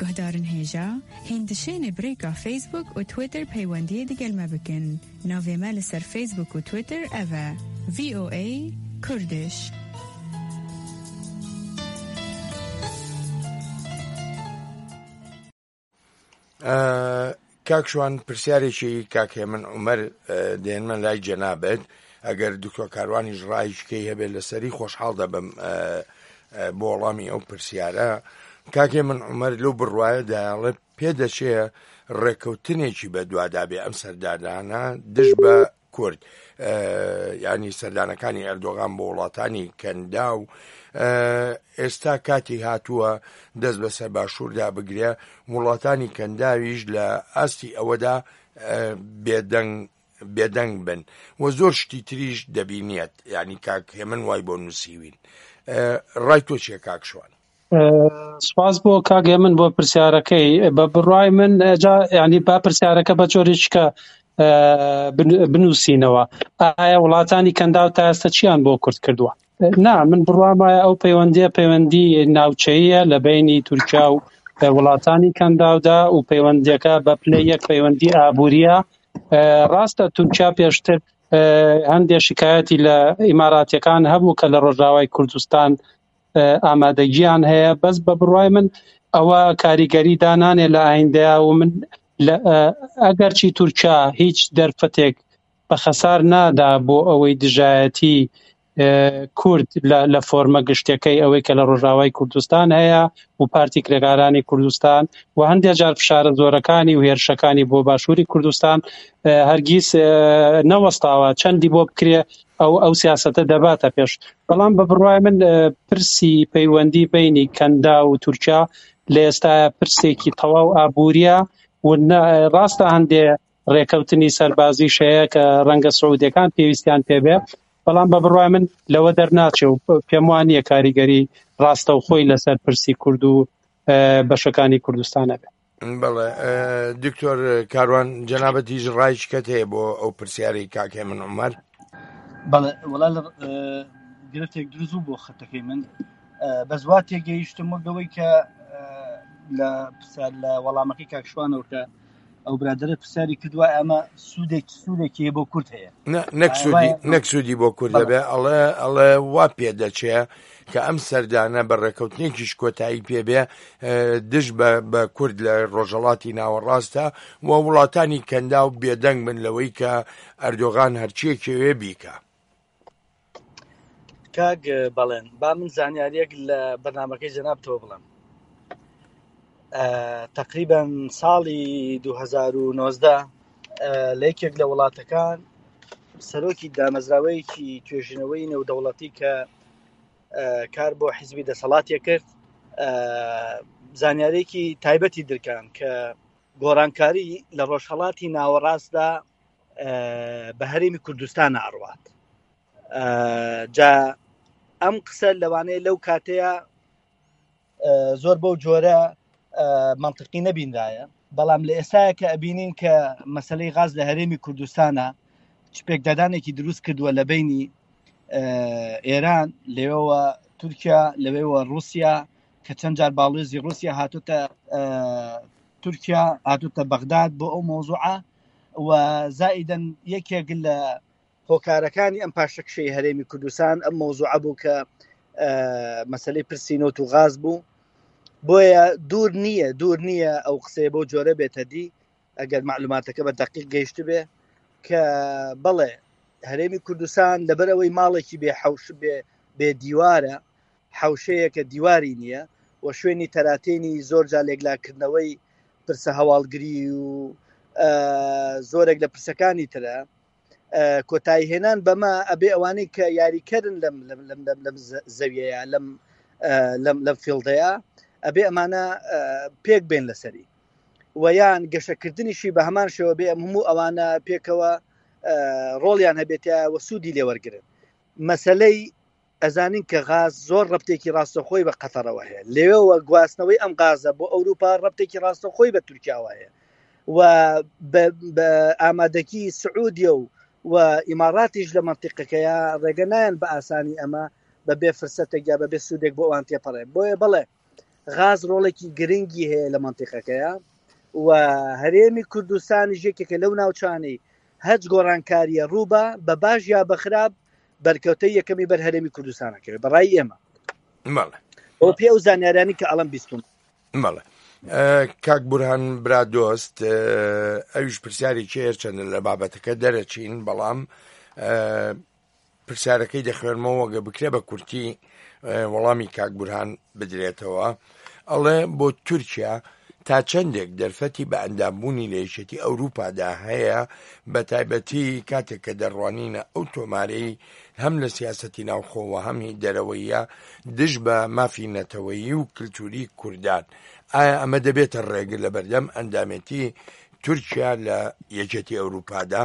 Guhdarên hêja, hîn dişênê bi rêka Facebook û Twitter peywendiyê digel me bikin. Navê me li ser Facebook û Twitter ev e, VOA Kurdish. کاک شوان پرسیارێکی کاک هێمن عومەر دێنمە لای جەنابت ئەگەر دکتۆر کاروانیش ڕایشکەی هەبێت لەسەری خۆشحاڵ دەبم بۆ وەڵامی ئەو پرسیارە کاک هێمن عومەر لەو بڕوایە دایڵێ پێدەچێ ڕێککەوتنێکی بەدوادابێ ئەم سەردانانە دژ بە کورد ینی سەردانەکانی ئەردۆغان بۆ وڵاتانی کەنداو ئێستا کاتی هاتووە دەست بەسەر باشووردا بگرێ وڵاتانی کەنداویش لە ئاستی ئەوەدا بێدەنگ بێدەنگ بن و زۆر شتی تریش دەبینیت ینی کاک هێمن وای بۆ نووسیوین ڕای تۆ چیە کاک شوان؟ سپاس بۆ کاک هێمن بۆ پرسیارەکەی بە بڕای من جا ینی با پرسیارەکە بە جۆرێکە بنووسینەوە ئایا وڵاتانی کەنداو تا ئێستا چیان بۆ کورد کردووە نا من بڕوام وایە ئەو پەیوەندیە پەیوەندی ناوچەیە لە بینی تورکیا و وڵاتانی کەنداودا و پەیوەندیەکە بە پلەی یەک پەیوەندی ئابووریە ڕاستە تورکیا پێشتر هەندێک شکایەتی لە ئیماراتیەکان هەبوو کە لە ڕۆژاوای کوردستان ئامادەگیان هەیە بەس بە بڕوای من ئەوە کاریگەری دانانێ لە ئایندەیە و من ئەگەرچی تورکیا هیچ دەرفەتێک بە خەسار نادا بۆ ئەوەی دژایەتی کورد لە فۆرمە گشتەکەی ئەوەی کە لە ڕۆژاوای کوردستان هەیە و پارتی کرێکارانی کوردستان و هەندێک جار فشارە زۆرەکانی و هێرشەکانی بۆ باشووری کوردستان هەرگیز نەوەستاوە چەندی بۆ بکرێ ئەو ئەو سیاسەتە دەباتە پێش بەڵام بە بڕوای من پرسی پەیوەندی بینی کەندا و تورکیا لە ئێستا پرسێکی تەواو ئابووریە و ڕاستە هەندێ ڕێکەوتنی سەربازیش هەیە کە ڕەنگە سعودیەکان پێویستیان پێبێ بەڵام بە بڕوای من لەوە دەرناچێ و پێم وان نییە کاریگەری ڕاستەوخۆی لەسەر پرسی کورد و بەشەکانی کوردستان هەبێ. بەڵێ دکتۆر کاروان جەنابەتیش ڕای شکەت هەیە بۆ ئەو پرسیارەی کاک هێمن عومەر؟ بەڵێ وەڵا لە گرفتێک دروست بوو بۆ خەتەکەی من بەس وا تێگەیشتم وەک ئەوەی کە لە پرسیار لە وەڵامەکەی کاک شوانەوە کە ئەو برادەرە پرسیاری کردووە ئەمە سوودێک سوودێکی هەیە بۆ کورد هەیە نەک سوودی بۆ کورد دەبێ ئەڵێ ئەڵێ وا پێ دەچێ کە ئەم سەردانە بە ڕێکەوتنێکیش کۆتایی پێبێ دژ بە کورد لە ڕۆژهەڵاتی ناوەڕاستە و وڵاتانی کەنداو بێدەنگ بن لەوەی کە ئەردۆغان هەرچیەکەوێ بیکە. کاک بەڵێن با من زانیاریەک لە بەرنمەکەی جەنابتەوە بڵێم تقریبا ساڵی 2009 لە یەکێک لە وڵاتەکان سەرۆکی دامەزراوەیەکی توێژینەوەی نێودەوڵەتی کە کار بۆ حیزبی دەسەڵاتێ کرد زانیارێکی تایبەتی درکان کە گۆڕانکاری لە ڕۆژهڵاتی ناوەڕاستدا بە هەرێمی کوردستان ئەڕوات جا ئەم قسە لەوانەیە لەو کاتەیە زۆر بەو جۆرە منطقی نەبینرایە بەڵام لە ئێستاە کە ئەبینین کە مەسلەی غاز لە هەرێمی کوردستانە چ پێکدادانێکی دروست کردووە لە بینی ئێران لەوێوە تورکیا لەوێوە رووسیا کە چەند جار باڵێزی رووسیا هاتوتە تورکیا هاتوتە بەغداد بۆ ئەو مۆزوعە و زائیدەن یەکێک لە هۆکارەکانی ئەم پاشەکشەی هەرێمی کوردستان ئەم مەوزوعە بوو کە مەسلەی پرسی نەوت و غاز بوو بۆیە دوور نییە دوور نییە ئەو قسەیە بۆ جۆرە بێتە دی ئەگەر معلوماتەکە بە دقیق گەیشت بێ کە بەڵێ هەرێمی کوردستان لەبەرەوەی ماڵێکی بێ حەوش بێ بێ دیوارە حەوشەیەکە دیواری نییە و شوێنی تەراتێنی زۆر جا لێکلاکردنەوەی پرسە هەواڵگری و زۆرێک لە پرسەکانی ترە کۆتایی هێنان بەمە ئەبێ ئەوانەی کە یاریکەرن لەم لەم لەم لەم لەم زەویەیە لەم لەم لەم فیڵدەیە ئەبێ ئەمانە پێک بێن لەسەری و یان گەشەکردنیشی بە هەمان شێوە بێ ئەم هەموو ئەوانە پێکەوە ڕۆڵیان هەبێتە وە سوودی لێوەرگن مەسلەی ئەزانین کە غاز زۆر ڕەبتێکی ڕاستەوخۆی بە قەتەڕەوە هەیە، لەوێوە گواستنەوەی ئەم غازە بۆ ئەوروپا ڕەبتێکی ڕاستەوخۆی بە تورکیاوە هەیە و بە ئامادەگی سعودیە و و ئیماڕاتیش لە مەنتیقەکەیە ڕێگە نایەن بە ئاسانی ئەمە بە بێ فرسەتێک یا بە بێ سوودێک بۆ ئەوان تێپەڕێ بۆیە بەڵێ غاز ڕۆڵێکی گرنگی هەیە لە مەنتیقەکەیە و هەرێمی کوردستانیش یەکێکە لەو ناوچانەی هەچ گۆڕانکاریە ڕووبا بە باش یا بە خراپ بەرکەوتەی یەکەمی بەر هەرێمی کوردستانەکەوێت بەڕای ئێمە بەڵێ ئەو پێ ئەو زانیارانی کە ئەڵم بیستم بەڵێ کاک بورهان برادۆست ئەویش پرسیارێکی هەرچەندە لە بابەتەکە دەرەچین بەڵام پرسیارەکەی دەخوێنمەوە گە بکرێ بە کورتی وەڵامی کاک بورهان بدرێتەوە ئەڵێ بۆ تورکیا تا چەندێک دەرفەتی بە ئەندامبوونی لە یەکێتی ئەوروپادا هەیە، بە تایبەتی کاتێک کە دەڕوانینە ئەو تۆمارەی هەم لە سیاسەتی ناوخۆ و هەم هی دەرەوەیە دژ بە مافی نەتەوەیی و کلتوری کوردان، ئایا ئەمە دەبێتە ڕێگر لەبەردەم ئەندامێتی تورکیا لە یەکێتی ئەوروپادا؟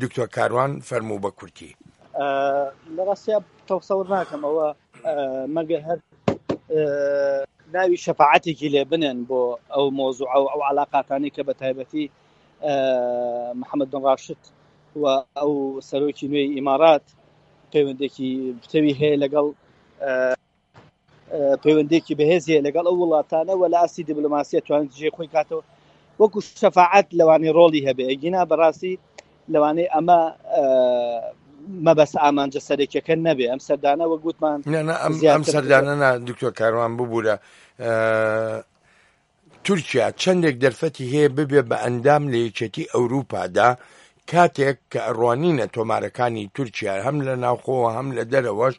دکتۆر کاروان فەرموو بە کورتی. لە ڕاستیا تەسەور ناکەم ئەوە مەگەر هەر ناوی شەفاعەتێکی لێ بنێن بۆ ئەو مۆزوع و ئەو علااقاتانی کە بە تایبەتی محەممەد بن ڕاشد و ئەو سەرۆکی نوێی ئیمارات پەیوەندێکی پتەوی هەیە لەگەڵ پەیوەندێکی بەهێزی لەگەڵ ئەو وڵاتانە و لە ئاستی دیبلۆماسیە توانێت جێ خۆی کاتەوە وەکو شەفاعەت لەوانەیە ڕۆڵی هەبێ ئەگینا بەڕاستی لەوانەیە ئەمە مەبەست ئامانجە سەرەکیەکە نەبێ ئەم سەردانە وەک وتمان ئەم سەردانە نا دکتۆر کاروان ببوورە تورکیا چەندێک دەرفەتی هەیە ببێ بە ئەندام لە یەکێتی ئەوروپادا؟ کاتێک کە ئەڕوانینە تۆمارەکانی تورکیا هەم لە ناوخۆ هەم لە دەرەوەش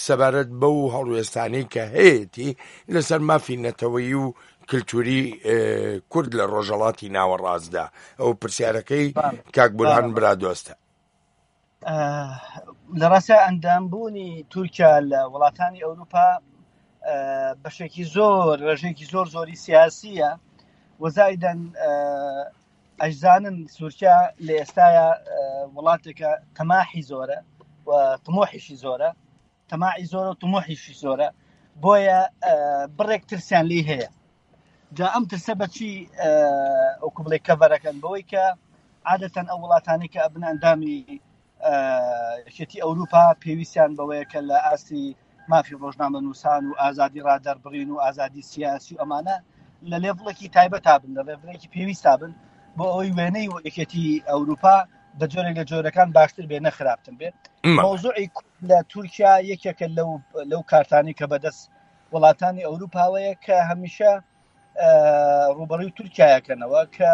سەبارەت بەو هەڵوێستانەی کە هەیەتی لەسەر مافی نەتەوەیی و کلتوری کورد لە ڕۆژەڵاتی ناوەڕاستدا ئەو پرسیارەکەی کاک بورهان برادۆستە. لە ڕاستە ئەندامبوونی تورکیا لە وڵاتانی ئەوروپا بەشێکی زۆر ڕێژەیەکی زۆر زۆری سیاسیە وەزایدەن ئەشزانن سوورکیا لە ئێستاە وڵاتێکە تەماحی زۆرە و تمۆحیشی زۆرە تەماعی زۆرە و تمۆحیشی زۆرە بۆیە بڕێک ترسیان لی هەیە جا ئەم ترسە بەچی ئەوکو بڵێ کەڤەرەکەن بەوەی کە عادەتەن ئەو وڵاتانی کە ئەبن ئەندامی یەکێتی ئەوروپا پێویستیان بەوەیە کە لە ئاستی مافی ڕۆژنامە نووسان و ئازادی ڕادەربڕین و ئازادی سیاسی و ئەمانە لە لێڤڵێکی تایبەتا بن لە لێڤڵێکی پێویستا بن بۆ ئەوەی وێنەی و یەکێتی ئەوروپا بە جۆرێک لە جۆرەکان باشتر بێ نەخراپتر بێ مەوزوعی لە تورکیا یەکێکە لەو لەو کارتانی کە بەدەست وڵاتانی ئەوروپاوەیە کە هەمیشە ڕوبەڕوی تورکیاەکەنەوە کە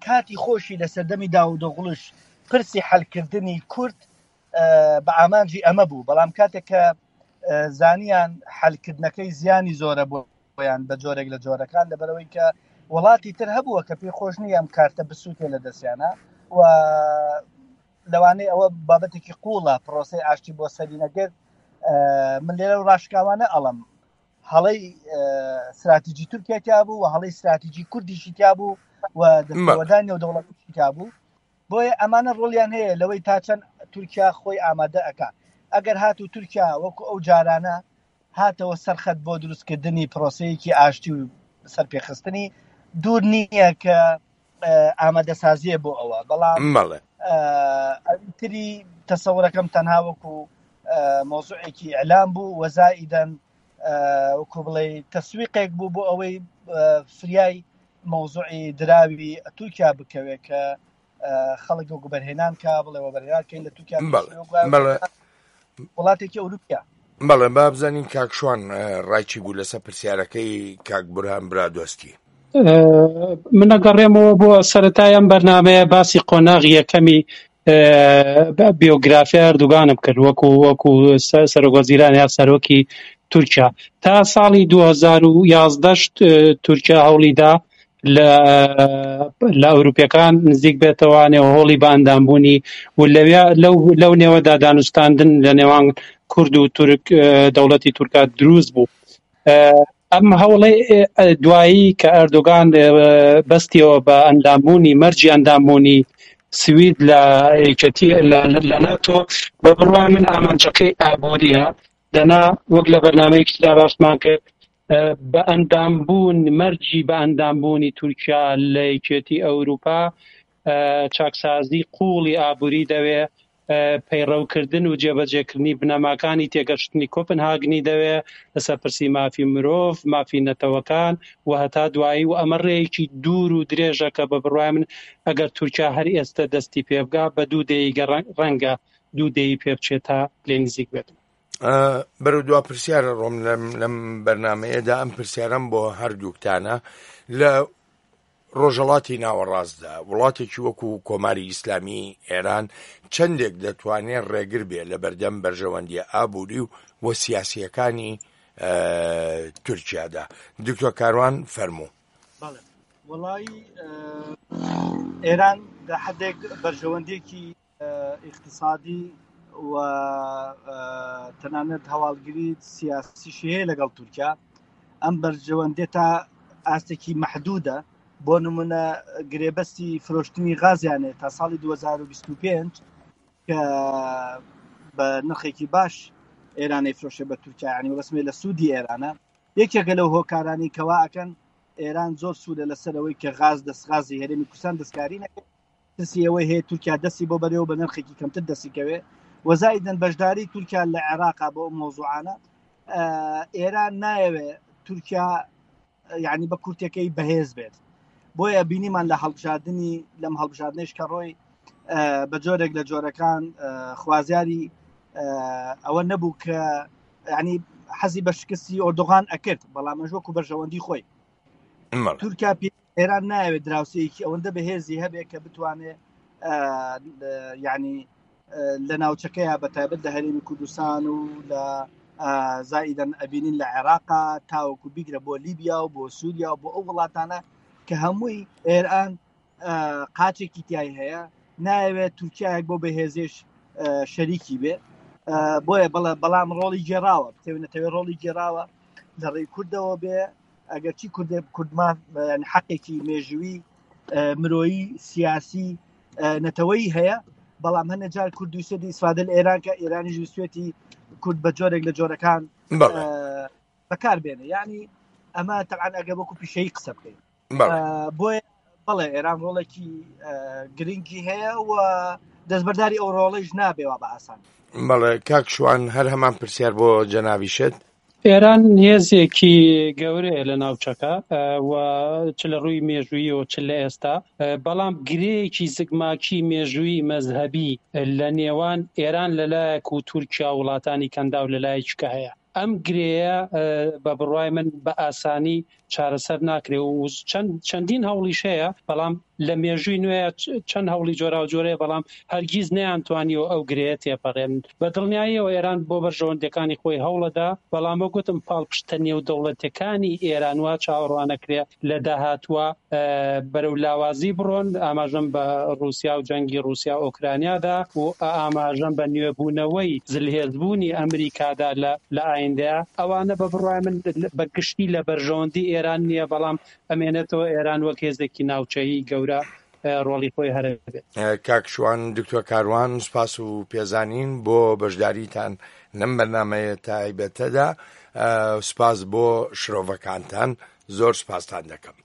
کاتی خۆشی لە سەردەمی داودۆغڵش پرسی حلکردنی کورد بە ئامانجی ئەمە بوو بەڵام کاتێک کە زانیان حلکردنەکەی زیانی زۆرە بۆیان بە جۆرێک لە جۆرەکان لەبەرەوەی کە وڵاتی تر هەبووە کە پێی خۆش نییە ئەم کارتە بسووتێ لە دەستیانە و لەوانەیە ئەوە بابەتێکی قوڵە پرۆسی ئاشتی بۆ سەری نەگرت من لێرە و ڕاشکاوانە ئەڵم هەڵەی استراتیجی تورکیا تیا بوو و هەڵەی استراتیجی کوردیشی تیا بوو و دەستێوەردانی نێودەوڵەتیشی تیا بوو بۆیە ئەمانە ڕۆڵیان هەیە لەوەی تا چەند تورکیا خۆی ئامادە ئەکا ئەگەر هاتوو تورکیا وەکو ئەو جارانە هاتەوە سەرخەت بۆ دروستکردنی پرۆسەیەکی ئاشتی و سەرپێخستنی دوور نییە کە ئامادەسازیە بۆ ئەوە بەڵام ئەوی تری تەسەورەکەم تەنها وەکو مۆزوعێکی ئیعلام بوو وەزائیدەن وەکو بڵێ تەسویقێک بوو بۆ ئەوەی فریای مەوزوعی دراوی تورکیا بکەوێت کە خەڵک وەکو بەرهێنان کا بڵێ وەبەرهێنان کەین لە تورکیا وڵاتێکی ئەوروپیا. بەڵێ با بزانین کاک شوان ڕای چی بوو لەسەر پرسیارەکەی کاک بورهان برادۆستی. من ئەگەڕێمەوە بۆ سەرەتای ئەم بەرنامەیە باسی قۆناغی یەکەمی بیۆگرافیا ئەردوگانم کرد وەکو وەکو سەرۆک وەزیران یا سەرۆکی تورکیا تا ساڵی 2011 تورکیا هەوڵیدا لە لە ئەوروپیەکان نزیک بێتەوانێ و هۆڵی بە ئەندامبوونی و لەویا لەو لەو نێوەدا دانوستاندن لە نێوان کورد و تورک دەوڵەتی تورکا دروست بوو. ئەم هەوڵەی دوایی کە ئەردۆگان بەستیەوە بە ئەندامبوونی مەرجی ئەندامبوونی سوید لە یەکێتی لە ناتۆ بە بڕوای من ئامانجەکەی ئابووریە دەنا وەک لە بەرنامەیەکی ترا باسمان کرد بە ئەندامبوون مەرجی بە ئەندامبوونی تورکیا لە یەکێتی ئەوروپا چاکسازی قووڵی ئابووری دەوێ، پەیڕەوکردن و جێبەجێکردنی بنەماکانی تێگەشتنی کۆپنهاگنی دەوێ لەسەر پرسی مافی مرۆڤ، مافی نەتەوەکان و هەتا دوایی و ئەمە ڕێیەکی دوور و درێژە کە بە بڕوای من ئەگەر تورکیا هەر ئێستە دەستی پێ بگا بە دوو دەیەی ڕەنگە دوو دەیەی پێ بچێت تا لێ نزیک بێت. بەرەو دوا پرسیارە ڕۆم لەم بەرنمەیەدا ئەم پرسیارم بۆ هەردووکتانە لە ڕۆژهەڵاتی ناوەڕاستدا وڵاتێکی وەکو کۆماری ئیسلامی ئێران چەندێک دەتوانێ ڕێگر بێ لە بەردەم بەرژەوەندیە ئابووری و و سیاسیەکانی تورکیادا؟ دکتۆر کاروان فەرموو. بەڵێ وەڵایی ئێران لە حدێک بەرژەوەندیەکی ئیقتسادی و تەنانەت هەواڵگری سیاسیشی هەیە لەگەڵ تورکیا ئەم بەرژەوەندێ تا ئاستێکی محدودە بۆ نمونە گرێبەستی فرۆشتنی غازیانێ تا ساڵی 2025 کە بە نرخێکی باش ئێرانەی فرۆشێ بە تورکیا ینی بەسمێ لە سوودی ئێرانە یەکێکە لەو هۆکارانی کەوا ئەکەن ئێران زۆر سوودە لەسەرەوەی کە غاز دەست غازی هەرێمی کوردستان دەستکاری نەکرد ترسی ئەوەی هەیە تورکیا دەستی بۆ بەرێ و بە نرخێکی کەمتر دەستی کەوێ وەزایدن بەشداری تورکیا لە عێراقا بۆ ئەو مۆزوعانە ئێران نایەوێ تورکیا یعنی بە کورتەکەی بەهێز بێت بۆیە بینیمان لە هەڵبژاردننی لەم هەڵبژاردنێش کە ڕۆی بە جۆرێک لە جۆرەکان خوازیاری ئەوە نەبوو کە ینی حەزی بە شکستی ئۆردوغان ئەکرد بەڵام ئەش وەکو بەرژەوەندی خۆی تورکیا پێ. ئێران ناوێت دراوسەیەکی ئەوەندە بەهێزی هەبێ کە بتوانێت ینی لە ناوچەکەیە بە تایبەت لە هەرێمی کوردستان و لە زائیدەن ئەبینین لە عێراقا تاوەکو بیگرە بۆ لیبیا و بۆ سووریا و بۆ ئەو وڵاتانە کە هەمووی ئێران قاچێکی تای هەیە ناوێت تورکایەک بۆ بەهێزێش شەریکی بێ بۆیە بەڵێ بەڵام ڕۆڵی گێراوە بتەوێنەتەوێ ڕۆڵی گێراوە لە ڕێی کوردەوە بێ ئەگەرچی کوردێ کوردمان حەقێکی مێژووی مرۆیی سیاسی نەتەوەی هەیە بەڵام هەنە جار کورد ویسێتی ئیسفادە لە ئێران کە ئێرانیش ویستێتی کورد بە جۆرێک لە جۆرەکان بەکار بێنێ ینی ئەمە تەعاان ئەگە وەکو پیشەی قسە بکەین بۆیە بەڵێ ئێران ڕۆڵێکی گرنگی هەیە و دەستبەرداری ئەو ڕۆڵیش نابێ وا بە ئاسان بەڵێ کاک شوان هەر هەمان پرسیار بۆ جەنابیشت. ئێران هێزێکی گەورەیە لە ناوچەکە و چ لە ڕووی مێژوویەوە چ لە ئێستا، بەڵام گرێیەکی زگماکی مێژوویی مەزهەبی لە نێوان ئێران لەلایەک و تورکیا و وڵاتانی کەنداو لەلایەکی کە هەیە. ئەم گرێیە بە بڕوای من بە ئاسانی چارەسەر ناکرێ و چەند چەندین هەوڵیش هەیە بەڵام لە مێژووی نوێ چەند هەوڵی جۆراوجۆرەیە بەڵام هەرگیز نەیانتوانیوە ئەو گرێیە تێپەڕێنن. بە دڵنیاییەوە ئێران بۆ بەرژەوەندییەکانی خۆی هەوڵەدا، بەڵام وەک وتم پاڵپشتە نێودەوڵەتییەکانی ئێران وا چاوەڕوانەکرێ لە داهاتووە بەرەو لاوازی بڕۆن، ئاماژەم بە ڕووسیا و جەنگی ڕووسیا و ئۆکرانیا دا و ئاماژەم بە نوێبوونەوەی زلهێزبوونی ئەمریکادا لە لە ئایندەیا، ئەوانە بە بڕوای من بە گشتی لە بەرژەوەندی ئێران نییە، بەڵام ئەمێنێتەوە ئێران وەک هێزێکی ناوچەیی گەورە ڕۆڵی خۆی هەر ئەبێت. کاک شوان، دکتۆر کاروان سوپاس و پێزانین بۆ بەشداریتان لەم بەرنامەیە تایبەتەدا، سوپاس بۆ شرۆڤەکانتان، زۆر سوپاستان دەکەم.